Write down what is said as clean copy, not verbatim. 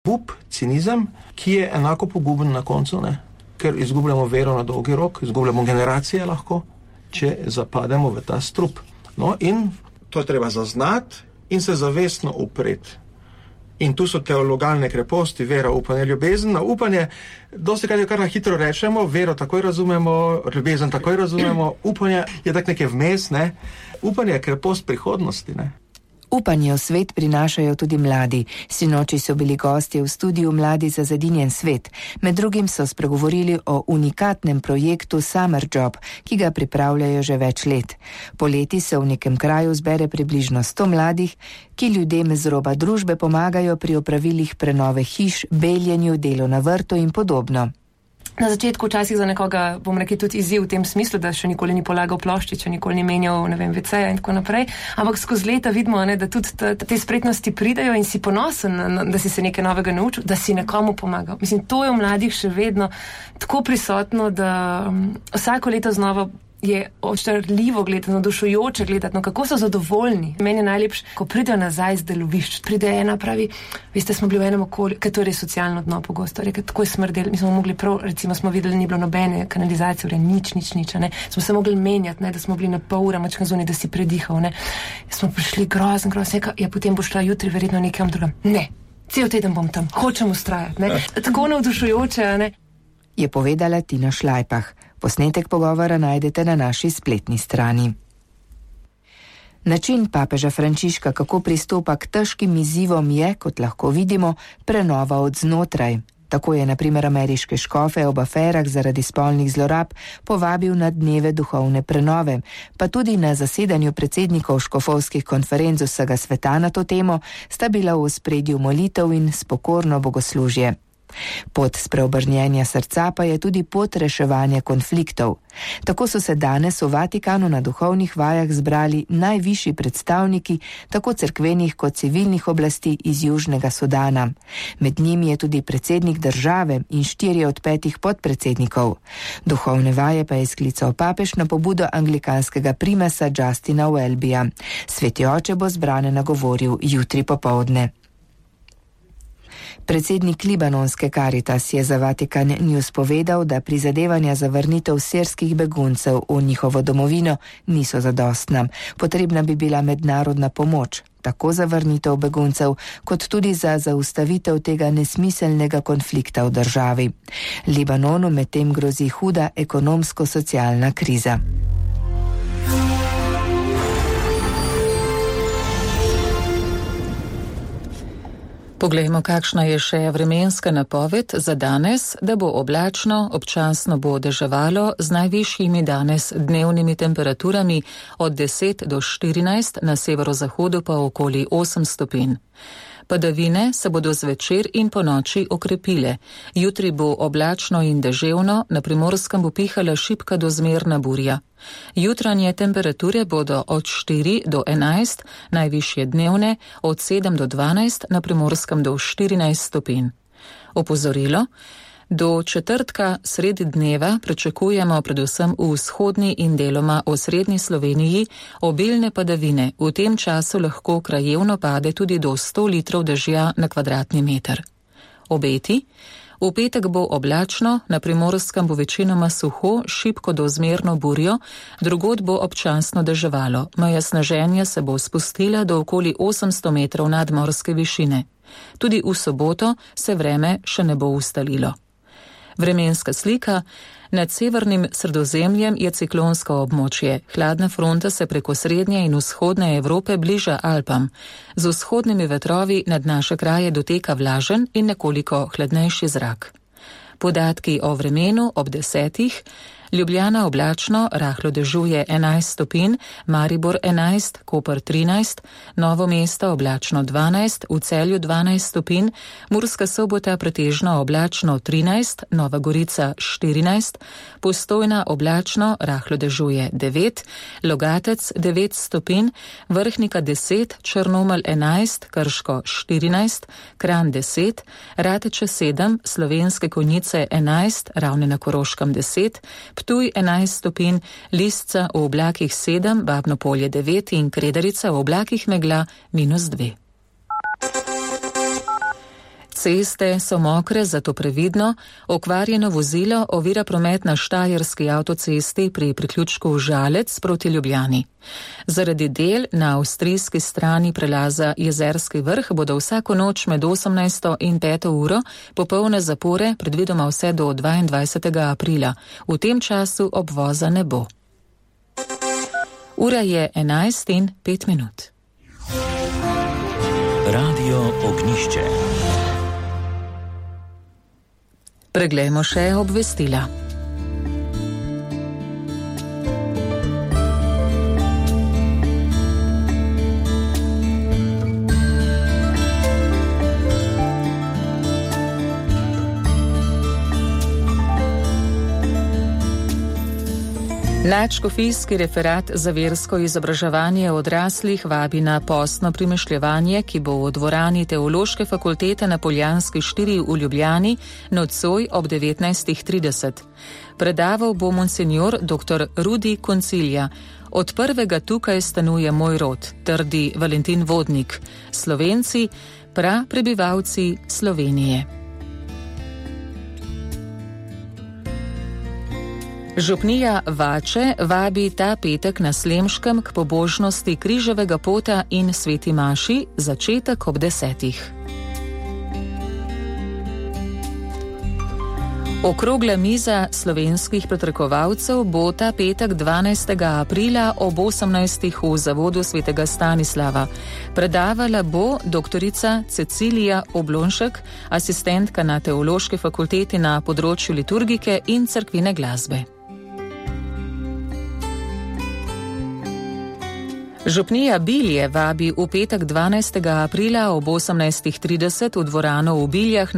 Up, cinizem, ki je enako poguben na koncu, ne? Ker izgubljamo vero na dolgi rok, izgubljamo generacije lahko, če zapademo v ta strup. No, in to je treba zaznati in se zavestno upreti. In tu so teologalne kreposti, vera, upanje, ljubezen. Na upanje, dosti kar na hitro rečemo, vero takoj razumemo, ljubezen takoj razumemo, upanje je tak nekaj vmes, ne? Upanje je krepost prihodnosti, ne? Upanje v svet prinašajo tudi mladi. Sinoči so bili gostje v studiu Mladi za zedinjen svet. Med drugim so spregovorili o unikatnem projektu Summer Job, ki ga pripravljajo že več let. Poleti se v nekem kraju zbere približno 100 mladih, ki ljudem z roba družbe pomagajo pri opravilih prenove hiš, beljenju, delu na vrtu in podobno. Na začetku včasih za nekoga, bom rekel, tudi izziv v tem smislu, da še nikoli ni polagal ploščiča, nikoli ni menjal, WC-ja in tako naprej. Ampak skozi leta vidimo, da tudi te spretnosti pridejo in si ponosen, da si se nekaj novega naučil, da si nekomu pomagal. Mislim, to je v mladih še vedno tako prisotno, da vsako leto znova je očarljivo gledati, navdušujoče gledati, no kako so zadovoljni. Meni je najlepše, ko pridejo nazaj z delovišč. Pride ena, pravi, veste, smo bili v enem okolju, ker to je res socialno dno pogosto, rekel, tako je smrdel, mi smo mogli prav, recimo smo videli, ni bilo nobene kanalizacije, nič, ne. Smo se mogli menjati, ne, da smo bili na pol ura mačka zunaj, da si predihal, ne. Smo prišli grozen, ja, potem boš šla jutri verjetno nekam drugam. Ne, cel teden bom tam, hočem ustrajati, ne. Tako navdušujoče, ne. Je povedala Tina Šlajpah. Posnetek pogovora najdete na naši spletni strani. Način papeža Frančiška, kako pristopa k težkim izzivom, je, kot lahko vidimo, prenova od znotraj. Tako je na primer ameriške škofe ob aferah zaradi spolnih zlorab povabil na dneve duhovne prenove, pa tudi na zasedanju predsednikov škofovskih konferenc vsega sveta na to temo sta bila v ospredju molitev in spokorno bogoslužje. Pot spreobrnjenja srca pa je tudi pot reševanja konfliktov. Tako so se danes v Vatikanu na duhovnih vajah zbrali najvišji predstavniki tako cerkvenih kot civilnih oblasti iz Južnega Sudana. Med njimi je tudi predsednik države in 4 od 5 podpredsednikov. Duhovne vaje pa je sklical papež na pobudo anglikanskega primasa Justina Welbyja. Sveti oče bo zbrane nagovoril jutri popoldne. Predsednik libanonske Caritas je za Vatikan News povedal, da prizadevanja za vrnitev sirskih beguncev v njihovo domovino niso zadostna. Potrebna bi bila mednarodna pomoč, tako za vrnitev beguncev, kot tudi za zaustavitev tega nesmiselnega konflikta v državi. Libanonu medtem grozi huda ekonomsko-socialna kriza. Poglejmo, kakšna je še vremenska napoved za danes, da bo oblačno, občasno bo deževalo z najvišjimi danes dnevnimi temperaturami od 10 do 14, na severozahodu pa okoli 8 stopinj. Padavine se bodo zvečer in po noči okrepile. Jutri bo oblačno in deževno, na Primorskem bo pihala šibka do zmerna burja. Jutranje temperature bodo od 4 do 11, najvišje dnevne od 7 do 12, na Primorskem do 14 stopinj. Opozorilo: do četrtka sredi dneva pričakujemo predvsem v vzhodni in deloma osrednji Sloveniji obilne padavine. V tem času lahko krajevno pade tudi do 100 litrov dežja na kvadratni meter. Obeti: v petek bo oblačno, na Primorskem bo večinoma suho, šibko do zmerno burjo, drugod bo občasno deževalo. Meja sneženja se bo spustila do okoli 800 metrov nadmorske višine. Tudi v soboto se vreme še ne bo ustalilo. Vremenska slika: nad severnim Sredozemljem je ciklonsko območje. Hladna fronta se preko srednje in vzhodne Evrope bliža Alpam. Z vzhodnimi vetrovi nad naše kraje doteka vlažen in nekoliko hladnejši zrak. Podatki o vremenu ob 10. Ljubljana oblačno, rahlo dežuje 11 stopinj, Maribor 11, Koper 13, Novo mesto oblačno 12, v Celju 12 stopinj, Murska Sobota pretežno oblačno 13, Nova Gorica 14, Postojna oblačno, rahlo dežuje 9, Logatec 9 stopinj, Vrhnika 10, Črnomelj 11, Krško 14, Kranj 10, Rateče 7, Slovenske Konjice 11, Ravne na Koroškem 10, Ptuj 11 stopinj, Lisca v oblakih 7, Babno Polje 9 in Kredarica v oblakih megla -2. Ceste so mokre, zato previdno, okvarjeno vozilo ovira promet na Štajerski avtocesti pri priključku Žalec proti Ljubljani. Zaradi del na avstrijski strani prelaza Jezerski vrh bodo vsako noč med 18. in 5. uro popolne zapore predvidoma vse do 22. aprila. V tem času obvoza ne bo. Ura je 11:05. Radio Ognišče. Preglejmo še obvestila. Nadškofijski referat za versko izobraževanje odraslih vabi na postno premišljevanje, ki bo v dvorani Teološke fakultete na Poljanski 4 v Ljubljani nocoj ob 19:30. Predaval bo monsignor dr. Rudi Koncilja. Od prvega tukaj stanuje moj rod, trdi Valentin Vodnik. Slovenci, prebivalci Slovenije. Župnija Vače vabi ta petek na Slemškem k pobožnosti križevega pota in sveti maši, začetek ob 10. Okrogla miza slovenskih pretrekovalcev bo ta petek 12. aprila ob 18. v zavodu svetega Stanislava. Predavala bo doktorica Cecilija Oblonšek, asistentka na Teološki fakulteti na področju liturgike in cerkvine glasbe. Župnija Bilje vabi v petek 12. aprila ob 18:30 v dvorano v Biljah